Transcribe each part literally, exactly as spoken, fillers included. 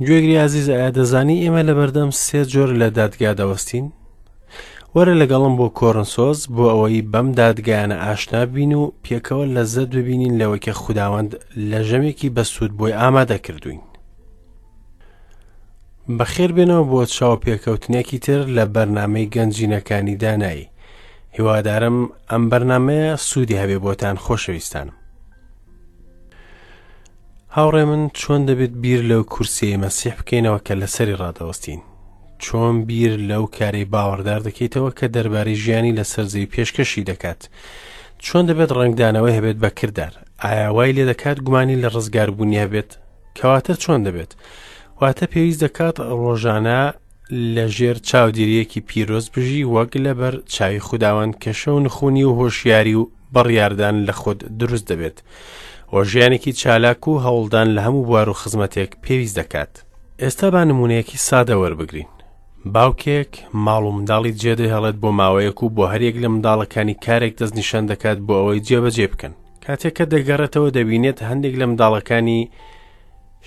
گوێگری ئازیز، ئایا دەزانی ئێمە لەبەردەم سێ جۆر لە دادگا دەوەستین؟ وەرە لەگەڵم بۆ کۆرنسۆس بۆ ئەوەی بەم دادگایانە ئاشنا بین و پێکەوە لەزەت ببینین لەوەی کە خوداوەند لە ژەمێکی بەسوود بۆی ئامادە کردوین. بەخێر بێنەوە بۆ چاوپێکەوتنێکی تر لە بەرنامەی گەنجینەکانی دانایی. هیوادارم ئەم بەرنامەیە سوودی هەبێ بۆتان خۆشەویستانم. هاوڕێ من، چۆن دەبێت بیر لەو کورسیەی مەسیح بکەینەوە کە لەسەری ڕادەوەستین؟ چۆن بیر لەو کارەی باوەڕدار دەکەیتەوە کە دەربارەی ژیانی لەسەر زەوی پێشکەشی دەکات؟ چۆن دەبێت ڕەنگدانەوەی هەبێت بە کردار؟ ئایا وای لێ دەکات گومانی لە ڕزگاربوونی هەبێت؟ کەواتە چۆن دەبێت؟ واتە پێویست دەکات ڕۆژانە لەژێر چاودێریەکی پیرۆز بژی، وەک لەبەر چاوی خوداوەند کە شەو نخونی و هۆشیاری و بڕیاردان لە خۆت دروست دەبێت و ژیانێکی چالاک و هەوڵدان لە هەموو بوار و خزمەتێک پێویست دەکات. ئێستا با نمونەیەکی سادە وەربگرین. باوکێک ماڵ و منداڵی جێدەهێڵێت بۆ ماوەیەک و بۆ هەریەک لە منداڵەکانی کارێک دەستنیشان دەکات بۆ ئەوەی جێبەجێ بکەن. کاتێک کە دەگەڕێتەوە دەبینێت هەندێک لە منداڵەکانی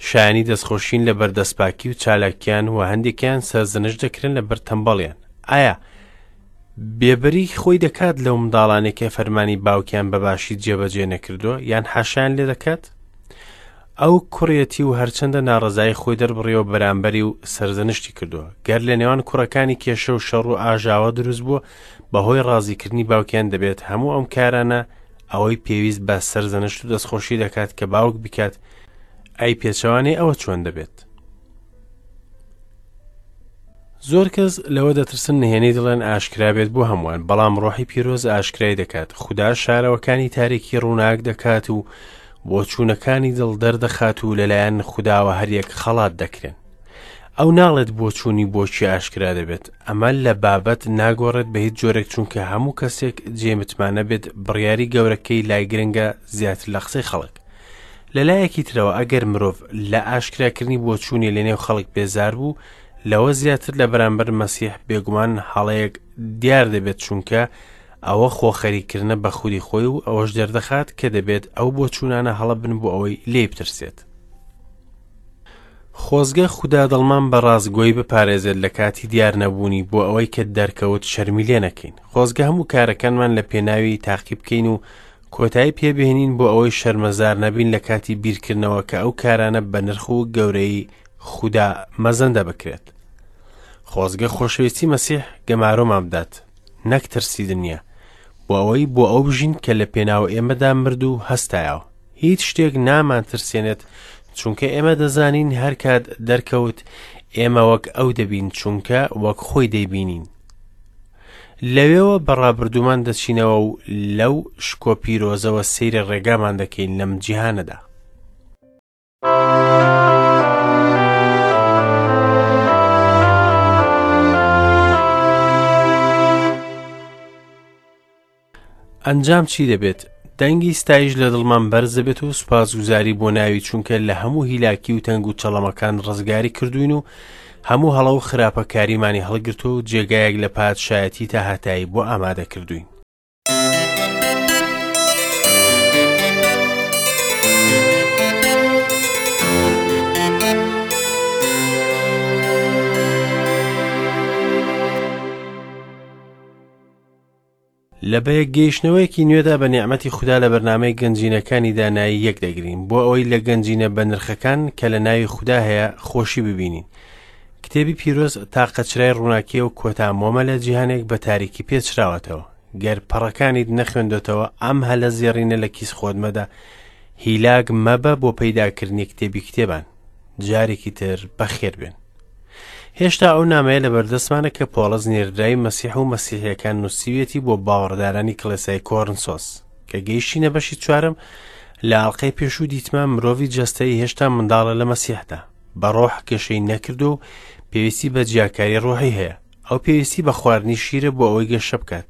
شایانی دەستخۆشین لە بەردەستپاکی و چالاکیان و هەندێکیان سەرزەنش دەکرێن لە بەر تەمبەڵیان. ئایا بێبەری خۆی دەکات لەو منداڵانێک کە فەرمانی باوکیان بەباشی جێبەجێ نەکردووە یان حاشایان لێ دەکات؟ ئەو کوڕێتی و هەرچەندە ناڕەزایی خۆی دەربڕیەوە بەرامبەری و سەرزەنشتی کردووە. گەر لە نێوان کوڕەکانی کێشە و شەڕ و ئاژاوە دروست بووە بەهۆی ڕازیکردنی باوکیان، دەبێت هەموو ئەم کارانە ئەوەی پێویست بە سەرزەنشت و دەستخۆشی دەکات کە باوک بکات. ئەی پێچەوانەی ئەوە چۆن دەبێت؟ زۆر کەس لەوە دەترسن نهێنی دڵێن ئاشکرا بێت بۆ هەمووان، بەڵام ڕۆحی پیرۆز ئاشکرای دەکات. خودا شارەوەکانی تاریکی ڕووناک دەکات و بۆچوونەکانی دڵ دەردەخات و لەلایەن خوداوە هەریەک خەڵات دەکرێن. ئەو ناڵێت بۆچوونی بۆچی ئاشکرا دەبێت. ئەمە لە بابەت ناگۆڕێت بە هیچ جۆرێک، چونکە هەموو کەسێک جێ متمانە بێت بڕیاری گەورەکەی لای گرنگە زیاتر لە قسەی خەڵک. لەلایەکی ترەوە ئەگەر مرۆڤ لە ئاشکراکردنی بۆچوونی لەنێو خەڵک بێزار بوو، لەوە زیاتر لە بەرامبەر مەسیح بێگومان هەڵەیەک دیار دەبێت، چونکە ئەوە خۆخەریکردنە بە خودی خۆی و ئەوەش دەردەخات کە دەبێت ئەو بۆچوونانە هەڵە بن بۆ ئەوەی لێی بترسێت. خۆزگە خودا دڵمان بە ڕاستگۆیی بپارێزێت لە کاتی دیار نەبوونی بۆ ئەوەی کە دەرکەوت شەرمی لێ نەکەین. خۆزگە هەموو کارەکانمان لە پێناوی تاقی بکەین و کۆتایی پێبهێنین بۆ ئەوەی شەرمەزار نەبین لە کاتی بیرکردنەوە کە ئەو کارانە بە نرخ و گەورەی خودا مەزەندە بکرێت. خۆزگە خۆشەویستی مەسیح گەمارۆمان بدات، نەک ترسی دنیا، بۆ ئەوەی بۆ ئەو بژین کە لە پێناو ئێمەدا مرد و هەستایەوە. هیچ شتێک نامان ترسێنێت، چونکە ئێمە دەزانین هەر کات دەرکەوت ئێمە وەک ئەو دەبین، چونکە وەک خۆی دەیبینین. لەوێوە بە ڕابردوومان دەچینەوە و لەو شکۆ پیرۆزەوە سەیری ڕێگامان دەکەین لەم جیهانەدا. ئەنجام چی دەبێت؟ دەنگی ستایش لە دڵمان بەرز دەبێت و سوپاسگوزاری بۆ ناوی، چونکە لە هەموو هیلاکی و تەنگ و چەڵەمەکان ڕزگاری کردوین و هەموو هەڵە و خراپەکاریمانی هەڵگرتووە و جێگایەک لە پادشایەتی تا هەتایی بۆ ئامادە کردوین. لە بەیەکگەیشتنەوەیەکی نوێدا بە نیعمەتی خودا لە بەرنامەی گەنجینەکانی دانایی یەک دەگرین بۆ ئەوەی لە گەنجینە بەنرخەکان کە لە ناوی خودا هەیە خۆشی ببینین. کتێبی پیرۆز تاقەچرای ڕووناکیە و کۆتا مۆمە لە جیهانێک بە تاریکی پێچراوەتەوە. گەر پەڕەکانیت نەخوێندۆتەوە ئەم هەلە زێڕینە لە کیس خۆت مەدە، هیلاک مەبە بۆ پەیداکردنی کتێبی کتێبان. جارێکی تر بەخێر بێن. هێشتا ئەو نامەیە لەبەردەستمانە کە پۆڵس نێردراوی مەسیح و مەسیحیەکان نووسیویەتی بۆ باوەڕدارانی کڵێسای کۆرنسۆس. کە گەیشتینە بەشی چوارم لە ئەڵقەی پێشوو دیتمان مرۆڤی جەستەیی هێشتا منداڵە لە مەسیحدا، بە ڕۆح گەشەی نەکردو و پێویستی بە جیاکاری ڕۆحی هەیە. ئەو پێویستی بە خواردنی شیرە بۆ ئەوەی گەشە بکات.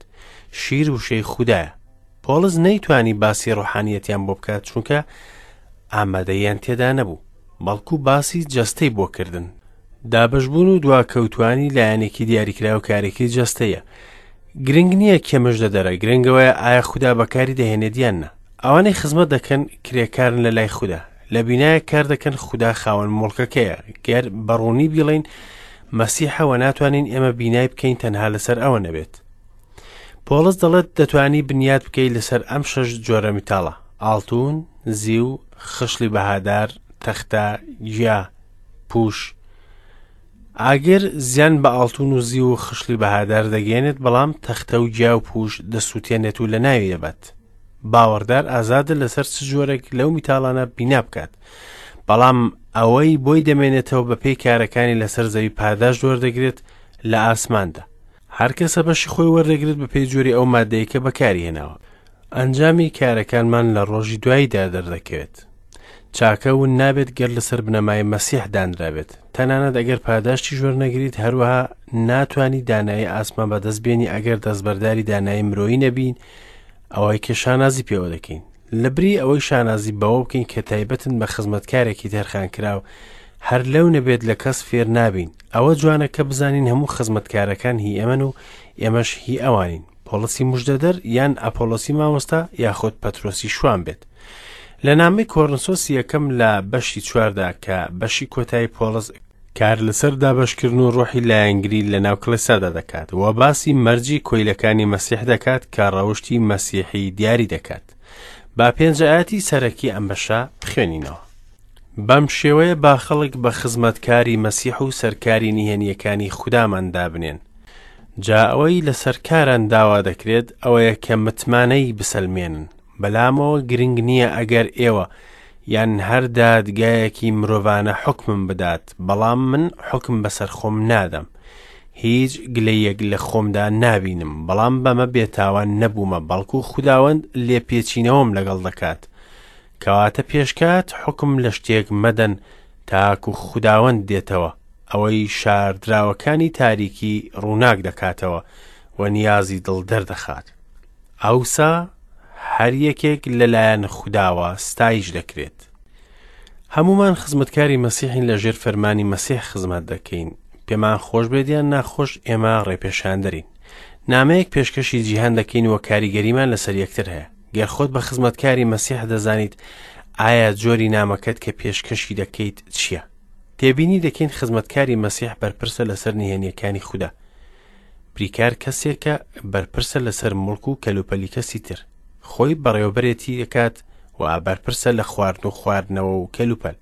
شیر وشەی خودایە. پۆڵس نەیتوانی باسی ڕۆحانیەتیان بۆ بکات چونکە ئامادەیان تێدا نەبوو، بەڵکو باسی جەستەی بۆ کردن. دابەشبوون و دواکەوتوانی لایەنێکی دیاریکراو کارێکی جەستەیە. گرنگ نییە کێ مژدە دەرە، گرنگەوەیە ئایا خودا بەکاری دەهێنێت یان نا. ئەوانەی خزمەت دەکەن کرێکارن لە لای خودا. لە بینایەک کار دەکەن خودا خاوەن موڵکەکەیە. گەر بەڕوونی بیڵێین مەسیحەوە ناتوانین ئێمە بینای بکەین تەنها لەسەر ئەوە نەبێت. پۆڵس دەڵێت دەتوانی بنیات بکەیت لەسەر ئەم شەش جۆرە میتاڵە: ئاڵتون، زیو، خشڵی بەهادار، تەختە، گیا، پوش. ئاگر زیان بە ئاڵتون و زیو و خشڵی بەهادار دەگەیەنێت، بەڵام تەختە و گیا و پوش دەسووتێنێت و لە ناوی دەبات. باوەڕدار ئازادە لەسەر چ جۆرێک لەو میتاڵانە بینا بکات، بەڵام ئەوەی بۆی دەمێنێتەوە بە پێی کارەکانی لەسەر زەوی پاداشت وەردەگرێت لە ئاسماندا. هەر کەسە بەشی خۆی وەردەگرێت بە پێی جۆری ئەو مادەیە کە بەکاری هێناوە. ئەنجامی کارەکانمان لە ڕۆژی دواییدا دەردەکەوێت. چاکە ون نابێت گەر لەسەر بنەمای مەسیح دانرابێت. تەنانەت ئەگەر پاداشتی وەرنەگریت، هەروەها ناتوانی دانایی ئاسمان بەدەست بێنی ئەگەر دەستبەرداری دانایی مرۆیی نەبین، ئەوەی کە شانازی پێوە دەکەین. لەبری ئەوەی شانازی بەوە بکەین کە تایبەتن بە خزمەتکارێکی تەرخانکراو، هەر لەو نەبێت لە کەس فێر نابین. ئەوە جوانە کە بزانین هەموو خزمەتکارەکان هی ئێمەن و ئێمەش هی ئەوانین. پۆڵسی مژدەدەر یان ئەپۆلۆسی مامۆستا یاخود پەترۆسی شوان بێت. لە نامەی کۆرنسۆسی یەکەم لە بەشی چواردا کە بەشی کۆتایی پۆڵس کار لەسەر دابەشکردن و ڕۆحی لایەنگری لە ناو کڵێسادا دەکات و باسی مەرجی کۆیلەکانی مەسیح دەکات کە ڕەوشتی مەسیحی دیاری دەکات. با پێنج ئایەتی سەرەکی ئەم بەشە بخوێنینەوە. بەم شێوەیە با خەڵک بە خزمەتکاری مەسیح و سەرکاری نهێنیەکانی خودامان دابنێن. جا ئەوەی لە سەرکاران داوا دەکرێت ئەوەیە کە متمانەی بسەلمێنن. بەلامەوە گرنگ نییە ئەگەر ئێوە یان هەر دادگایەکی مرۆڤانە حوکمم بدات، بەڵام من حوکم بەسەر خۆم نادەم. هیچ گلەیەک لە خۆمدا نابینم، بەڵام بەمە بێتاوان نەبوومە، بەڵکو خوداوەند لێپێچینەوەم لەگەڵ دەکات. کەواتە پێشکات حوکم لە شتێک مەدەن تاکو خوداوەند دێتەوە، ئەوەی شاردراوەکانی تاریکی ڕووناک دەکاتەوە و نیازی دڵ دەردەخات. ئەوسا هەر یەکێک لەلایەن خوداوە ستایش دەکرێت. هەمومان خزمەتکاری مەسیحین، لەژێر فەرمانی مەسیح خزمەت دەکەین. پێمان خۆش بێت یان ناخۆش، ئێمە ڕێپێشاندەرین. نامەیەک پێشکەشی جیهان دەکەین و کاریگەریمان لەسەر یەکتر هەیە. گەر خۆت بە خزمەتکاری مەسیح دەزانیت، ئایا جۆری نامەکەت کە پێشکەشی دەکەیت چییە؟ تێبینی دەکەین خزمەتکاری مەسیح بەرپرسە لەسەر نهێنیەکانی خودا. بریکار کەسێکە بەرپرسە لەسەر موڵک و کەلوپەلی کەسی تر. خۆی بەڕێوەبەرێتی دەکات و بەرپرسە لە خواردن و خواردنەوە و کەلوپەل.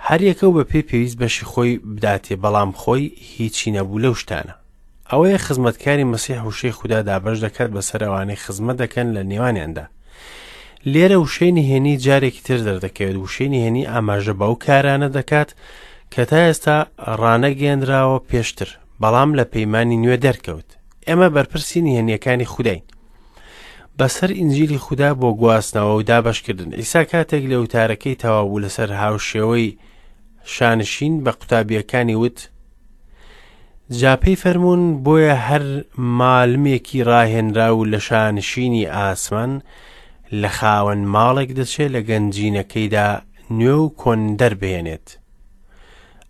هەر یەکە و بە پێی پێویست بەشی خۆی بداتێ، بەڵام خۆی هیچی نەبوو لەو شتانە. ئەوەیە خزمەتکاری مەسیح وشەی خودا دابەش دەکات بەسەر ئەوانەی خزمەت دەکەن لە نێوانیاندا. لێرە وشەی نهێنی جارێکی تر دەردەکەوێت. وشەی نهێنی ئاماژە بەو کارانە دەکات کە تا ئێستا ڕانەگەیەنراوە پێشتر، بەڵام لە پەیمانی نوێ دەرکەوت. ئێمە بەرپرسی نهێنیەکانی خوداین بەسەر ئینجیلی خودا بۆ گواستنەوە و دابەشکردن. ئیسا کاتێک لە وتارەکەی تەواو بوو لەسەر هاوشێوەی شانشین بە قوتابیەکانی وت: جا پێی فەرموون بۆیە هەر مالمێکی ڕاهێنراو لە شانشینی ئاسمان لە خاوەن ماڵێک دەچێت لە گەنجینەکەیدا نوێ و کۆن دەربهێنێت.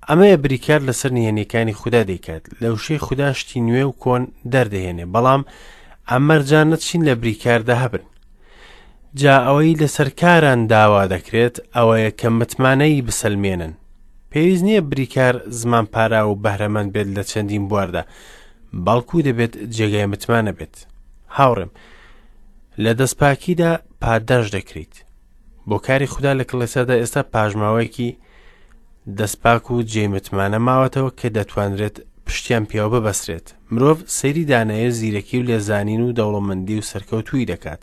ئەمەیە بریکار لەسەر نهێنیەکانی خودا دەیکات. لە وشەی خودا شتی نوێ و کۆن دەردەهێنێ، بەڵام ئەم مەرجانە چین لە بریکاردا هەبن. جا ئەوەی لەسەر کاران داوا دەکرێت ئەوەیە کە متمانەی بسەلمێنن. پێویست نییە بریکار زمان پارا و بەهرەمەند بێت لە چەندین بواردا، بەڵکو دەبێت جێگای متمانە بێت. هاوڕێم، لە دەستپاکیدا پاداش دەکرێت. بۆ کاری خودا لە کڵێسادا ئێستا پاشماوەیەکی دەستپاک و جێ متمانە ماوەتەوە کە دەتوانرێت پشتیان پێوە ببەسرێت. مرۆڤ سەیری دانایی و زیرەکی و لێزانین و دەوڵەمەندی و سەرکەوتوویی دەکات،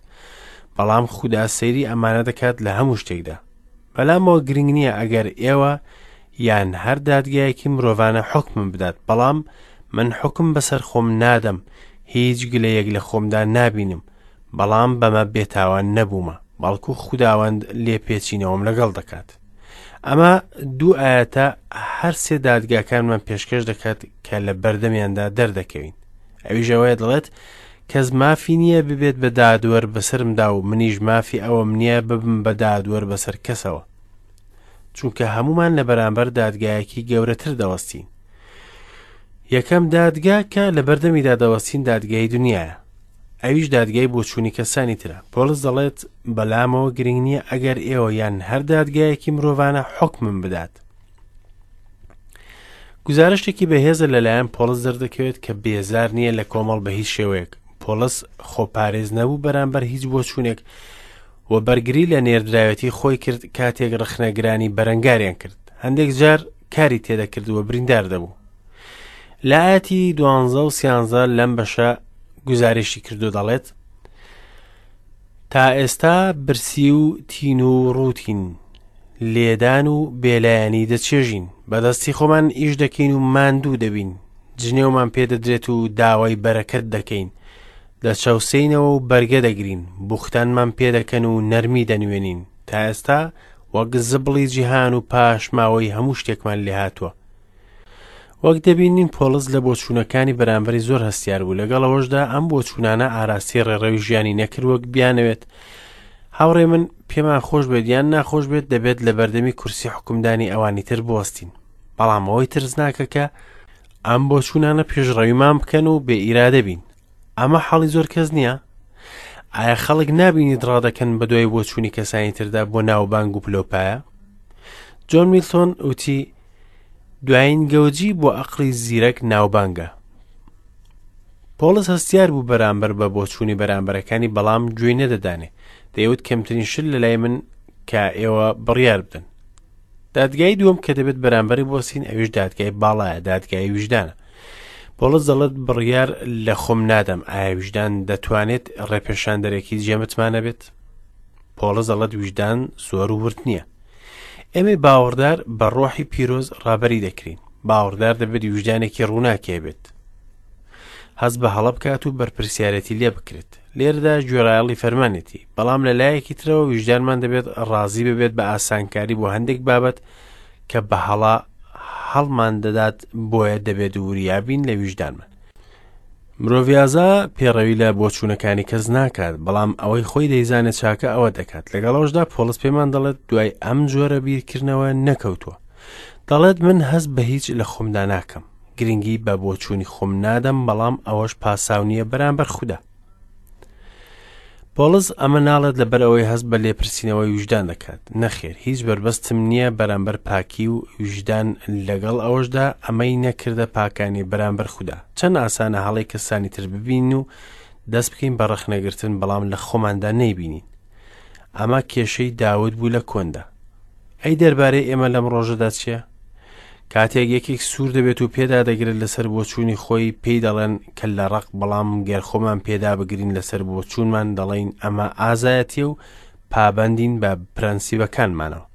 بەڵام خودا سەیری ئەمانە دەکات لە هەموو شتێکدا. بەلامەوە گرنگ نییە ئەگەر ئێوە یان هەر دادگایەکی مرۆڤانە حوکمم بدات، بەڵام من حوکم بەسەر خۆم نادەم، هیچ گلەیەک لە خۆمدا نابینم، بەڵام بەمە بێتاوان نەبوومە، بەڵکو خوداوەند لێپێچینەوەم لەگەڵ دەکات. ئەمە دوو ئایەتە هەر سێ دادگاکانمان پێشکەش دەکات کە لە بەردەمیاندا دەردەکەوین. ئەویش ئەوەیە دەڵێت کەس مافی نییە ببێت بە دادوەر بەسەرمدا و منیش مافی ئەوەم نییە ببم بە دادوەر بەسەر کەسەوە، چونکە هەمومان لە بەرامبەر دادگایەکی گەورەتر دەوەستین. یەکەم دادگا کە لە بەردەمیدا دەوەستین دادگای دنیایە. ئەویش دادگای بۆچوونی کەسانی ترە. پۆڵس دەڵێت بەلامەوە گرنگ نییە ئەگەر ئێوە یان هەر دادگایەکی مرۆڤانە حوکمم بدات. گوزارشتێکی بەهێزە لەلایەن پۆڵس دەردەکەوێت کە بێزار نییە لە کۆمەڵ بە هیچ شێوەیەک. پۆڵس خۆپارێز نەبوو بەرامبەر هیچ بۆچوونێک و بەرگری لە نێردراوێتی خۆی کرد کاتێک ڕەخنەگرانی بەرەنگاریان کرد. هەندێک جار کاری تێدەکرد و بریندار دەبوو. لە ئاەتی دوانزە و سیانزە لەم بەشە گوزارشتی کردو دەڵێت تا ئێستا برسی و تین و ڕووتین، لێدان و بێلایەنی دەچێژین، بەدەستی خۆمان ئیش دەکەین و ماندوو دەبین، جنێومان پێدەدرێت و داوای بەرەکەت دەکەین، دەچەوسێینەوە و بەرگە دەگرین، بوختانمان پێدەکەن و نەرمی دەنوێنین. تا ئێستا وەک زبڵی جیهان و پاشماوەی هەموو شتێکمان لێهاتووە. وەک دەبینین پۆڵس لە بۆچوونەکانی بەرامبەری زۆر هەستیار بوو، لەگەڵ ئەوەشدا ئەم بۆچوونانە ئاراستەی ڕێڕەوی ژیانی نەکرد وەک بیانەوێت. هاوڕێ من پێمان خۆش بێت یان ناخۆش بێت دەبێت لە بەردەمی کورسی حکومدانی ئەوانی تر بوەستین، بەڵام ئەوەی ترسناکە کە ئەم بۆچوونانە پێشڕەویمان بکەن و بێ ئیرادە بین. ئەمە حاڵی زۆر کەس نییە؟ ئایا خەڵک نابینیت ڕادەکەن بە دوای بۆچوونی کەسانی تردا بۆ ناوبانگ و پلۆپایە؟ جۆن میلتۆن وتی دوایین گەوجی بۆ ئەقڵی زیرەک ناوبانگە. پۆڵس هەستیار بوو بەرامبەر بە بۆچوونی بەرامبەرەکانی، بەڵام گوێی نەدەدانێ. دەیوت کەمترین شت لە لای من کە ئێوە بڕیار بدەن. دادگای دووەم کە دەبێت بەرامبەری بۆسین ئەویش دادگای باڵایە، دادگای ویژدانە. پۆڵس دەڵێت بڕیار لە خۆم نادەم. ئایا ویژدان دەتوانێت ڕێپێشاندەرێکی جێمتمانە بێت؟ پۆڵس دەڵێت ویژدان زۆر ورد نییە. ئێمەی باوەڕدار بە ڕۆحی پیرۆز ڕابەری دەکرین. باوەڕدار دەبێت ویژدانێکی ڕووناکێ بێت، هەست بە هەڵە بکات و بەرپرسیارەتی لێ بکرێت. لێرەدا گوێڕایەڵی فەرمانێتی، بەڵام لە لایەکی ترەوە ویژدانمان دەبێت ڕازی ببێت بە ئاسانکاری بۆ هەندێک بابەت کە بە هەڵە هەڵمان دەدات، بۆیە دەبێت وریابین لە ویژدانمان. مرۆڤ ئازا پێڕەوی لە بۆچوونەکانی کەس ناکات، بەڵام ئەوەی خۆی دەیزانێت چاکە ئەوە دەکات. لەگەڵەوەشدا پۆڵس پێمان دەڵێت دوای ئەم جۆرە بیرکردنەوە نەکەوتووە. دەڵێت من هەست بە هیچ لە خۆمدا ناکەم، گرنگی بە بۆچوونی خۆم نادەم، بەڵام ئەوەش پاساو نییە بەرامبەر خودا. پۆڵس ئەمە ناڵێت لەبەر ئەوەی هەست بە لێپرسینەوەی ویژدان دەکات. نەخێر، هیچ بەربەستم نییە بەرامبەر پاکی و ویژدان، لەگەڵ ئەوەشدا ئەمەی نەکردە پاکانی بەرامبەر خودا. چەند ئاسانە هەڵەی کەسانی تر ببین و دەست بکەین بە ڕەخنەگرتن، بەڵام لە خۆماندا نەیبینین. ئەمە کێشەی داود بوو لە کۆندا. ئەی دەربارەی ئێمە لەم ڕۆژەدا چییە؟ کاتێک یەکێک سوور دەبێت و پێدا دەگرێت لەسەر بۆچوونی خۆی، پێی دەڵێن کە لە ڕق، بەڵام گەر خۆمان پێدا بگرین لەسەر بۆچوونمان دەڵێن ئەمە ئازایەتیە و پابەندین بە پرەنسیبەکانمانەوە.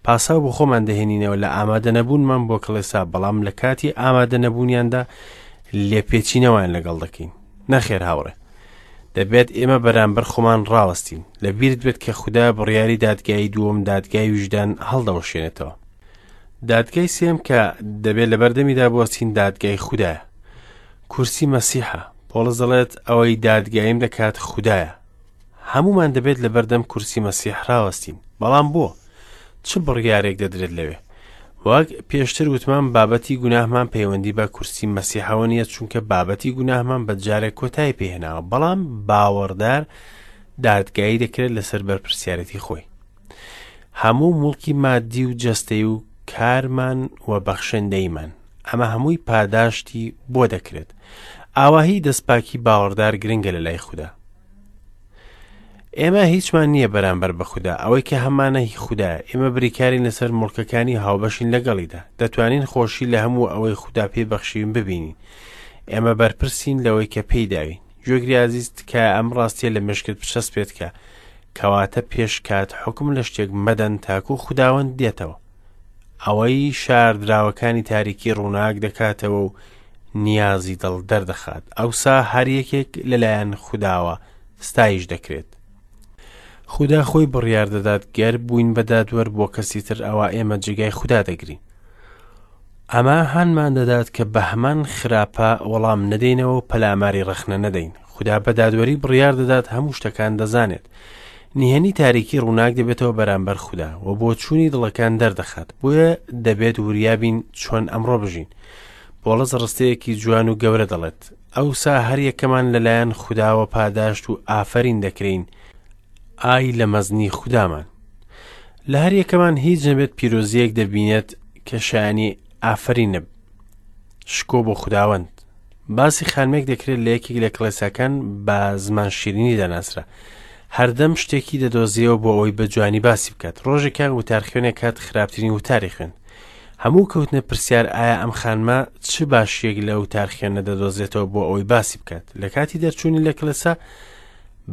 پاساو بۆ خۆمان دەهێنینەوە لە ئامادە نەبوونمان بۆ کڵێسا، بەڵام لە کاتی ئامادە نەبوونیاندا لێپێچینەوەیان لەگەڵ دەکەین. نەخێر هاوڕێ، دەبێت ئێمە بەرامبەر خۆمان ڕاوەستین. لەبیرت بێت کە خودا بڕیاری دادگای دووەم، دادگای ویژدان، هەڵدەوەشێنێتەوە. دادگای سێم کە دەبێت لەبەردەمیدا بوەستین دادگای خودایە، کورسی مەسیحە. پۆڵس دەڵێت ئەوەی دادگایم دەکات خودایە. هەمومان دەبێت لەبەردەم کورسی مەسیح ڕاوەستین، بەڵام بۆ چ بڕیارێک دەدرێت لەوێ؟ وەک پێشتر وتمان بابەتی گوناهمان پەیوەندی بە کورسی مەسیحەوە نییە، چونکە بابەتی گوناهمان بە جارێک کۆتایی پێهێناوە، بەڵام باوەڕدار دادگایی دەکرێت لەسەر بەرپرسیارەتی خۆی. هەموو موڵکی مادی و جەستەی و کارمان و بەخشندەیمان، ئەمە هەمووی پاداشتی بۆ دەکرێت. ئاواهی دەستپاکی باوەڕدار گرنگە لە لای خودا. ئێمە هیچمان نییە بەرامبەر بە خودا، ئەوەی کە هەمانە هی خودایە. ئێمە بریکارین لەسەر موڵکەکانی هاوبەشین لەگەڵیدا، دەتوانین خۆشی لە هەموو ئەوەی خودا پێی بەخشیوین ببینین. ئێمە بەرپرسین لەوەی کە پێی داوین. گوێگری ئازیز، تکایە ئەم ڕاستیە لە مێشکت بچەسپێت کە کەواتە پێش کات حوکم لە شتێک مەدەن تاکو خوداوەند دێتەوە. ئەوەی شاردراوەکانی تاریکی ڕووناک دەکاتەوە و نیازی دڵ دەردەخات، ئەوسا هەر یەکێک لەلایەن خوداوە ستایش دەکرێت. خودا خۆی بڕیار دەدات گەر بووین بە دادوەر بۆ کەسی تر، ئەوە ئێمە جێگای خودا دەگرین. ئەمە هانمان دەدات کە بە هەمان خراپە وەڵام نەدەینەوە و پەلاماری ڕەخنە نەدەین. خودا بە دادوەری بڕیار دەدات، هەموو شتەکان دەزانێت. نهێنی تاریکی ڕووناک دەبێتەوە بەرامبەر خودا و بۆچوونی دڵەکان دەردەخات. بۆیە دەبێت وریابین چۆن ئەمڕۆ بژین. پۆڵس ڕستەیەکی جوان و گەورە دەڵێت: ئەوسا هەر یەکەمان لەلایەن خوداوە پاداشت و ئافەرین دەکرین، ئای لە مەزنی خودامان. لە هەر یەکەمان هیچ نەبێت پیرۆزیەک دەبینێت کە شایانی ئافەرینە. شکۆ بۆ خوداوەند. باسی خانمێک دەکرێت لە یەکێک لە کڵێساکان بە زمان شیرینی دەناسرا. هەردەم شتێکی دەدۆزیەوە بۆ ئەوەی بە جوانی باسی بکات. ڕۆژێکیان وتارخوێنێک هات خراپترین وتاری خوێند. هەموو کەوتنە پرسیار ئایا ئەم خانمە چ باشیەک لە وتارخوێنە دەدۆزێتەوە بۆ ئەوەی باسی بکات. لە کاتی دەرچوونی لە کڵێسا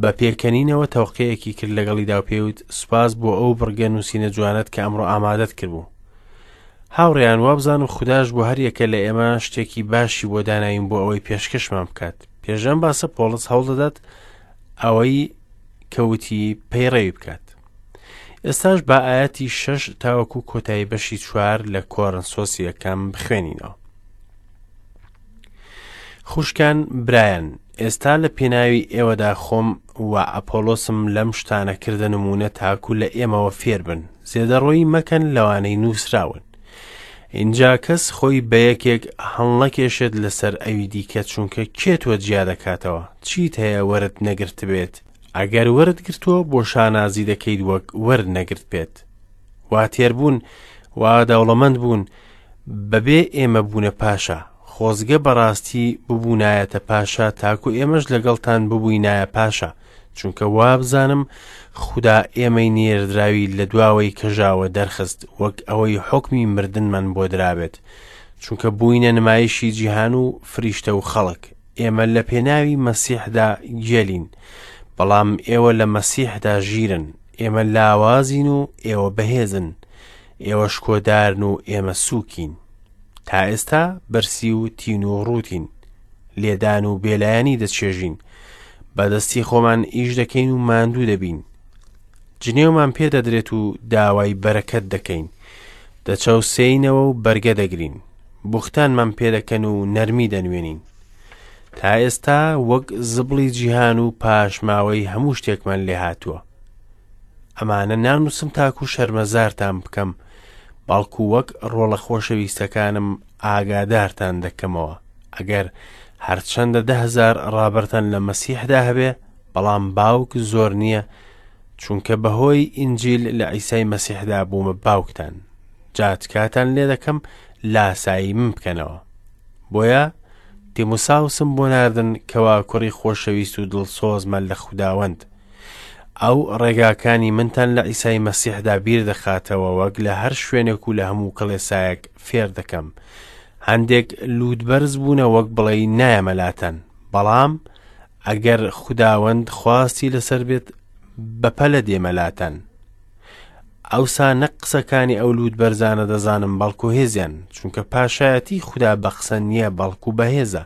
بە پێکەنینەوە تەوقەیەکی کرد لەگەڵیدا و پێوت: سوپاس بۆ ئەو بڕگە نووسینە جوانەت کە ئەمڕۆ ئامادەت کردبوو. هاوڕێیان، وابزانم خوداش بۆ هەر یەکە لە ئێمە شتێکی باشی بۆ داناوین بۆ ئەوەی پێشکەشمان بکات. پێشەم باسە پۆڵس هەوڵ دەدات ئەوەی کەوتی پەیڕەوی بکات. ئێستاش با ئاەتی شەش تاوەکو کۆتایی بەشی چوار لە کۆرنسۆس یەکەم بخوێنینەوە. خوشکان برایان، ئێستا لە پێناوی ئێوەدا خۆم و ئەپۆلۆسم لەم شتانە کردە نمونە تاکو لە ئێمەوە فێربن، زێدەڕۆیی مەکەن لەوانەی نووسراون. اینجا کەس خۆی بە یەکێک هەڵنەکێشێت لەسەر ئەوی دیکە، چونکە کێ تۆ جیا دەکاتەوە؟ چیت هەیە وەرت نەگرت بێت؟ ئەگەر وەرت گرتووە بۆ شانازی دەکەیت وەک وەرت نەگرت بێت. وا تێربوون، وا دەوڵەمەند بوون، بەبێ ئێمە بوونە پاشا. خۆزگە بەڕاستی ببوونایەتە پاشا تاکو ئێمەش لەگەڵتان ببووینایە پاشا، چونکە وابزانم خودا ئێمەی نێردراوی لە دواوەی کەژاوە دەرخست، وەک ئەوەی حوکمی مردنمان بۆ درابێت، چونکە بووینە نمایشی جیهان و فریشتە و خەڵک. ئێمە لە پێناوی مەسیحدا گێلین، بەڵام ئێوە لە مەسیحدا ژیرن. ئێمە لاوازین و ئێوە بەهێزن، ئێوە شکۆدارن و ئێمە سووکین. تا ئێستا بەرسی و تین و ڕووتین، لێدان و بێلایەنی دەچێژین، بەدەستی خۆمان ئیش دەکەین و ماندوو دەبین، جنێومان پێدەدرێت و داوای بەرەکەت دەکەین، دەچەوسێینەوە و بەرگە دەگرین، بوختانمان پێدەکەن و نەرمی دەنوێنین. تا ئێستا وەک زبڵی جیهان و پاشماوەی هەموو شتێکمان لێهاتووە. ئەمانە نانووسم تاکو شەرمەزارتان بکەم، بەڵکو وەک ڕۆڵە خۆشەویستەکانم ئاگادارتان دەکەمەوە. ئەگەر هەرچەندە ده هەزار ڕابەرتان لە مەسیحدا هەبێ، بەڵام باوک زۆر نییە، چونکە بەهۆی ئینجیل لە عیسای مەسیحدا بوومە باوکتان. جا تکاتان لێ دەکەم لاسایی من بکەنەوە. بۆیە تیموساوسم بۆ ناردن کەوا کوڕی خۆشەویست و دڵسۆزمە لە خوداوەند. ئەو ڕێگاکانی منتان لە عیسای مەسیحدا بیر دەخاتەوە، وەک لە هەر شوێنێک و لە هەموو کڵێسایەک فێر دەکەم. هەندێک لووتبەرز بوونە وەک بڵێی نایەمە لاتان، بەڵام ئەگەر خوداوەند خواستی لەسەر بێت بەپەلە دێمە لاتان. ئەوسا نەک قسەکانی ئەو لووتبەرزانە دەزانم، بەڵکو هێزیان، چونکە پاشایەتی خودا بە قسە نییە بەڵکو بەهێزە.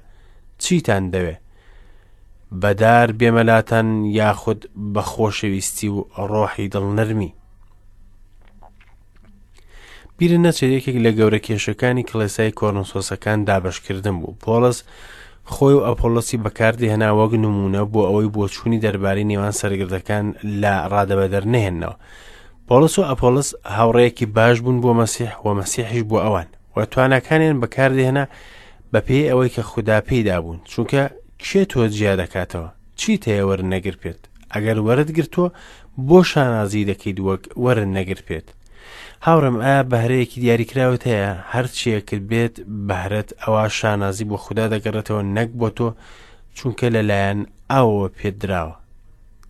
چیتان دەوێ؟ بەدار بێمەلاتان یاخود بە خۆشەویستی و ڕۆحی دڵنەرمی. بیرە نەچێت یەکێک لە گەورە کێشەکانی کڵێسای کۆرنسۆسەکان دابەشکردن بوو. پۆڵس خۆی و ئەپۆلۆسی بەکاردێهێنا وەک نمونە بۆ ئەوەی بۆچوونی دەربارەی نێوان سەرگردەکان لە ڕادەبەدەر نەهێننەوە. پۆڵس و ئەپۆلۆس هاوڕێیەکی باش بوون بۆ مەسیح و مەسیحیش بۆ ئەوان و تواناکانیان بەکاردێهێنا بەپێی ئەوەی کە خودا پێیدا بوون، چونکە کێ تۆ جیا دەکاتەوە؟ چیت هەیە وەرن نەگر پێت؟ ئەگەر وەرت گرتووە بۆ شانازی دەکەیت وەک وەرن نەگر پێت. هاوڕێم، ئایا بەهرەیەکی دیاریکراوت هەیە؟ هەرچیەکت بێت بەهرەت ئەوە شانازی بۆ خودا دەگەڕێتەوە نەک بۆ تۆ، چونکە لەلایەن ئاوەوە پێت دراوە.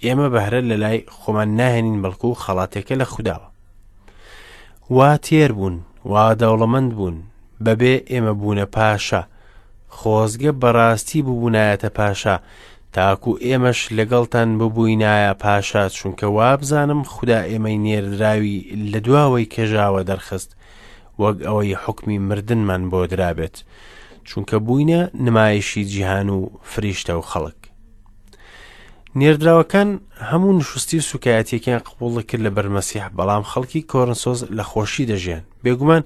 ئێمە بەهرە لەلای خۆمان ناهێنین، بەڵکو خەڵاتێکە لە خوداوە. وا تێر بوون، وا دەوڵەمەند بوون، بەبێ ئێمە بوونە پاشا. خۆزگە بەڕاستی ببوونایەتە پاشا، تاکو ئێمەش لەگەڵتان ببووینایە پاشا، چونکە وابزانم خودا ئێمەی نێردراوی لە دواوەی کەژاوە دەرخست، وەک ئەوەی حوکمی مردنمان بۆ درابێت، چونکە بووینە نمایشی جیهان و فریشتە و خەڵک. نێردراوەکان هەموو نشستی و سوکایەتیەکیان قبوڵ کرد لەبەر مەسیح، بەڵام خەڵکی کۆرنسۆس لە خۆشی دەژیان. بێگومان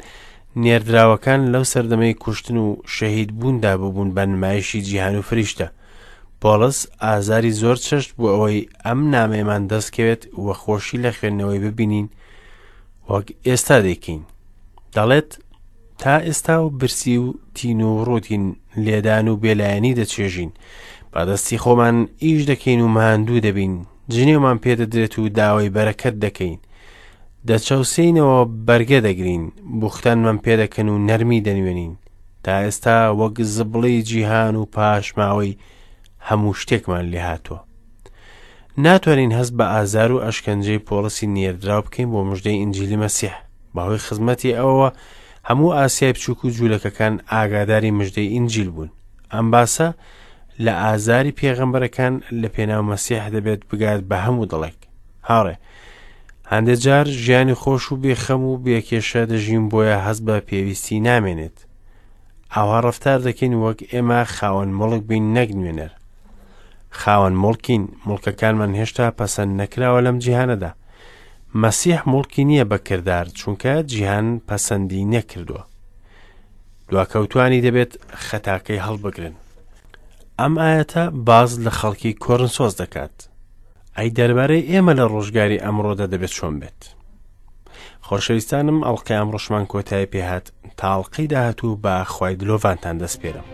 نێردراوەکان لەو سەردەمەی کوشتن و شەهید بووندا ببوون بە نمایشی جیهان و فریشتە. پۆڵس ئازاری زۆر چەشت بۆ ئەوەی ئەم نامەیەمان دەستکەوێت و خۆشی لە خوێندنەوەی ببینین وەک ئێستا دەیکەین. دەڵێت تا ئێستا و برسی و تین و ڕووتین، لێدان و بێلایەنی دەچێژین. بەدەستی خۆمان ئیش دەکەین و ماندوو دەبین، جنێومان پێدەدرێت و داوای بەرەکەت دەکەین. دەچەوسێینەوە بەرگە دەگرین، بوختانمان پێدەکەن و نەرمی دەنوێنین. تا ئێستا وەک زبڵی جیهان و پاشماوەی هەموو شتێکمان لێهاتووە. ناتوانین هەست بە ئازار و ئەشکەنجەی پۆڵسی نێردراو بکەین بۆ مژدەی ئینجیلی مەسیح. بەهۆی خزمەتی ئەوەوە هەموو ئاسیای بچووک و جوولەکەکان ئاگاداری مژدەی ئینجیل بوون. ئەم باسە لە ئازاری پێغەمبەرەکان لە پێناو مەسیح دەبێت بگات بە هەموو دڵێک. هاوڕێ، هەندێک جار ژیانی خۆش و بێخەم و بێکێشە دەژین، بۆیە هەست بە پێویستی نامێنێت. ئاوا ڕەفتار دەکەین وەک ئێمە خاوەن مڵک بین نەک نوێنەر. خاوەن مڵکین، مڵکەکانمان هێشتا پەسەند نەکراوە لەم جیهانەدا. مەسیح مڵکی نییە بە کردار، چونکە جیهان پەسەندی نەکردووە. دواکەوتوانی دەبێت خەتاکەی هەڵبگرن. ئەم ئایەتە باز لە خەڵکی کۆرنسۆس دەکات. ئەی دەربارەی ئێمە لە ڕۆژگاری ئەمڕۆدا دەبێت چۆن بێت؟ خۆشەویستانم، ئەڵقەی ئەمڕۆشمان کۆتایی پێهات. تا ئەڵقەی داهاتوو بە خوای دلۆڤانتان دەسپێرم.